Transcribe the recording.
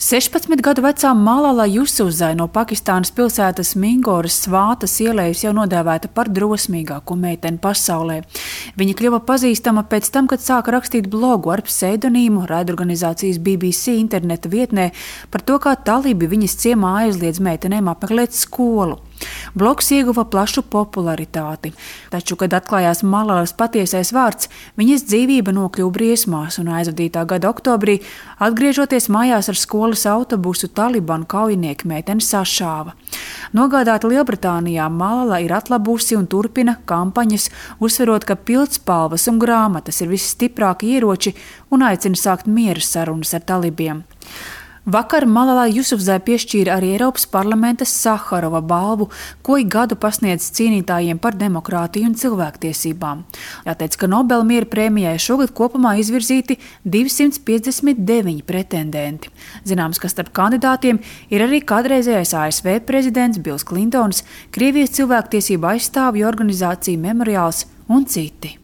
16 gadu vecā Malala Jusufzai no Pakistānas pilsētas Mingoras Svātas ielejas jau nodēvēta par drosmīgāko meiteni pasaulē. Viņa kļuva pazīstama pēc tam, kad sāka rakstīt blogu ar pseidonīmu raidorganizācijas BBC interneta vietnē par to, kā talibi viņas ciemā aizliedz meitenēm apmeklēt skolu. Blogs ieguva plašu popularitāti, taču, kad atklājās Malalas patiesais vārds, viņas dzīvība nokļuva briesmās un aizvadītā gada oktobrī, atgriežoties mājās ar skolas autobusu, talibanu kaujinieki meiteni sašāva. Nogādāta Lielbritānijā, Malala ir atlabusi un turpina kampaņas, uzsverot, ka pildspalvas un grāmatas ir visstiprākie ieroči un aicina sākt miera sarunas ar talibiem. Vakar Malalai Jusufzai piešķīra arī Eiropas parlamenta Saharova balvu, ko ik gadu pasniedz cīnītājiem par demokrātiju un cilvēktiesībām. Jāteic, ka Nobela miera prēmijai šogad kopumā izvirzīti 259 pretendenti. Zināms, ka starp kandidātiem ir arī kādreizējais ASV prezidents Bills Klintons, Krievijas cilvēktiesību aizstāvju organizācija Memoriāls un citi.